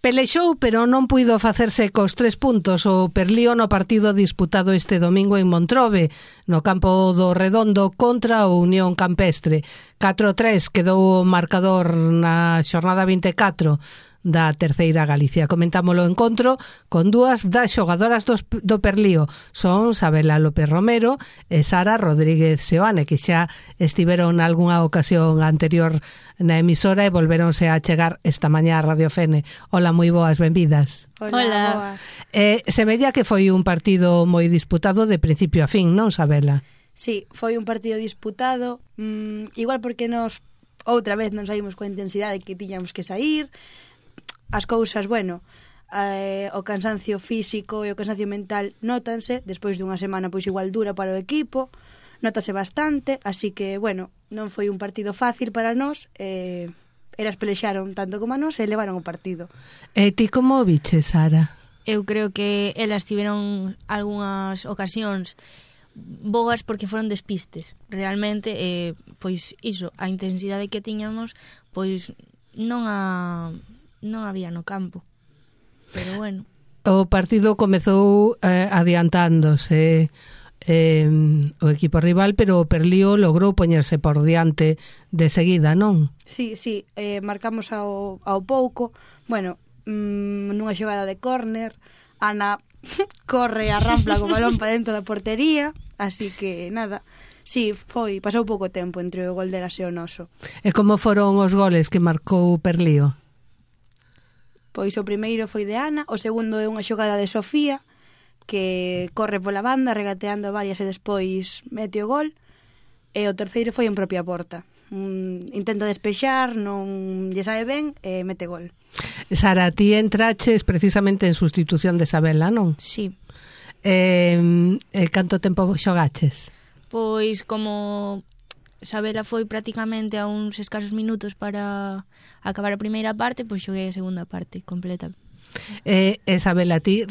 Pelexou, pero non puido facerse cos 3 puntos o Perlío no partido disputado este domingo en Montrobe, no campo do Redondo contra o Unión Campestre. 4-3 quedou o marcador na xornada 24 da Terceira Galicia. Comentámolo o encontro con dúas das xogadoras do Perlío. Son Sabela López Romero e Sara Rodríguez Seoane, que xa estiveron nalgúna ocasión anterior na emisora e volveronse a chegar esta mañá a Radio Fene. Hola, moi boas, benvidas. Hola. Se veía que foi un partido moi disputado de principio a fin, non, Sabela? Sí, foi un partido disputado, igual porque nos outra vez non saímos coa intensidade que tiñamos que sair. As cousas, bueno, o cansancio físico e o cansancio mental nótanse, despois dunha semana pois igual dura para o equipo, nótase bastante, así que, bueno, non foi un partido fácil para nós, elas pelexaron tanto como a nós e levaron o partido. E ti como o biches, Sara? Eu creo que elas tiveron algunhas ocasións boas porque foron despistes. Realmente, pois iso, a intensidade que tiñamos, pois non había no campo. Pero bueno. O partido comezou adiantándose o equipo rival, pero o Perlío logrou poñerse por diante de seguida, non? Sí, marcamos ao pouco. Bueno, nunha xogada de córner, Ana corre a rampla co balón para dentro da portería, así que nada. Sí, pasou pouco tempo entre o gol de Elas e o noso. E como foron os goles que marcou o Perlío? Pois o primeiro foi de Ana, o segundo é unha xogada de Sofía, que corre pola banda, regateando varias e despois mete o gol, e o terceiro foi en propia porta. Intenta despexar, non lle sae ben, e mete gol. Sara, ti entraches precisamente en sustitución de Sabela, non? Sí. Canto tempo xogaches? Pois como Sabela foi prácticamente a uns escasos minutos para acabar a primeira parte, pois xoguei a segunda parte completa. Sabela, ti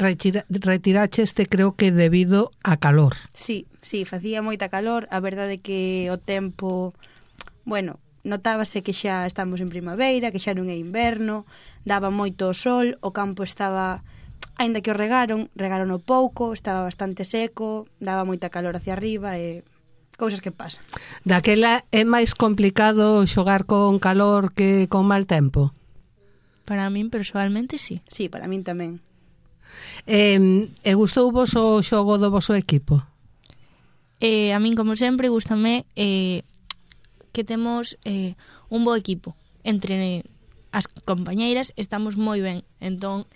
retiraches creo que debido a calor. Sí, facía moita calor. A verdade é que o tempo, bueno, notábase que xa estamos en primavera, que xa non é inverno, daba moito sol, o campo estaba, aínda que o regaron o pouco, estaba bastante seco, daba moita calor hacia arriba e cousas que pasan. Daquela é máis complicado xogar con calor que con mal tempo? Para min, persoalmente, sí. Sí, para min tamén. E gustou vos o xogo do voso equipo? A min, como sempre, gústame que temos un bo equipo. Entre as compañeiras estamos moi ben. Entón,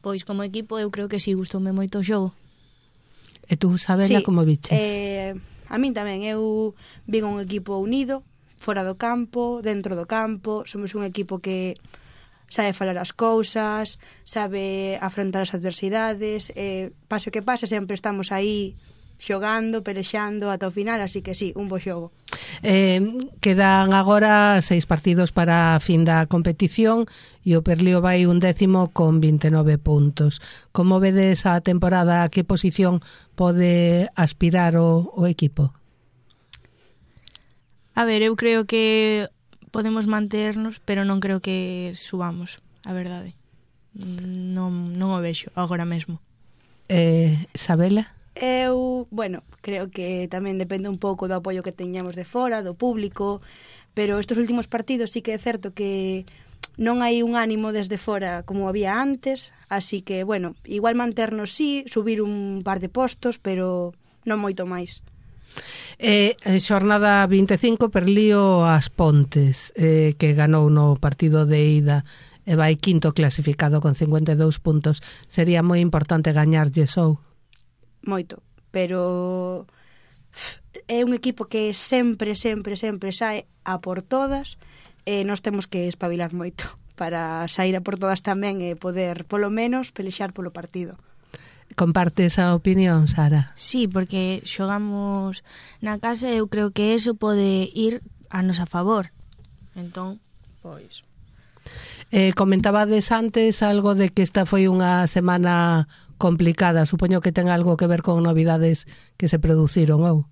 pois, como equipo, eu creo que sí, gustoume moito o xogo. E tú, Sabela, como biches? A min tamén, eu vin un equipo unido, fora do campo, dentro do campo, somos un equipo que sabe falar as cousas, sabe afrontar as adversidades, pase o que pase, sempre estamos aí xogando, pelexando ata o final, así que sí, un bo xogo. Quedan agora 6 partidos para a fin da competición e o Perlío vai 11º con 29 puntos. Como vedes a temporada, a que posición pode aspirar o equipo? A ver, eu creo que podemos manternos, pero non creo que subamos, a verdade. Non o vexo agora mesmo. Sabela? Eu, bueno, creo que tamén depende un pouco do apoio que teñamos de fora, do público, pero estes últimos partidos sí que é certo que non hai un ánimo desde fora como había antes, así que, bueno, igual manternos sí, subir un par de postos, pero non moito máis. Xornada 25, Perlío As Pontes, que ganou no partido de ida e vai quinto clasificado con 52 puntos. Sería moi importante gañarlle ou? Moito, pero é un equipo que sempre sae a por todas e nós temos que espabilar moito para sair a por todas tamén e poder, polo menos, pelexar polo partido. Compartes a opinión, Sara? Sí, porque xogamos na casa e eu creo que eso pode ir a nosa favor. Entón, pois... Comentabades antes algo de que esta foi unha semana complicada. Supoño que ten algo que ver con novidades que se produciron, ou?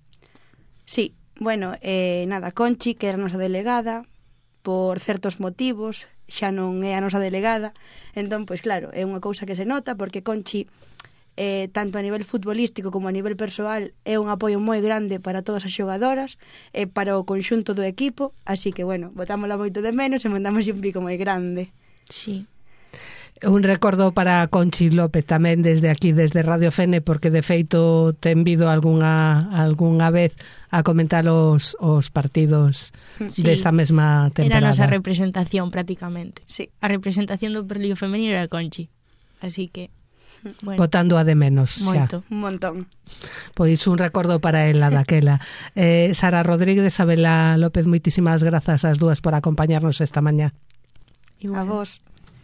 Sí, bueno, nada, Conchi, que era a nosa delegada, por certos motivos, xa non é a nosa delegada. Entón, pois claro, é unha cousa que se nota, porque Conchi, tanto a nivel futbolístico como a nivel persoal, é un apoio moi grande para todas as xogadoras, para o conxunto do equipo, así que, bueno, botámola moito de menos e mandamos un pico moi grande. Sí. Un recordo para Conchi López tamén desde aquí, desde Radio Fene, porque de feito ten vido algunha vez a comentar os partidos desta mesma temporada. Era a nosa representación prácticamente. Sí. A representación do Perlío femenino era Conchi. Así que, bueno, botando a de menos moito. xa. Un montón. Pois un recordo para ela daquela. Sara Rodríguez, Abela López, moitísimas grazas ás dúas por acompañarnos esta mañá. A vos.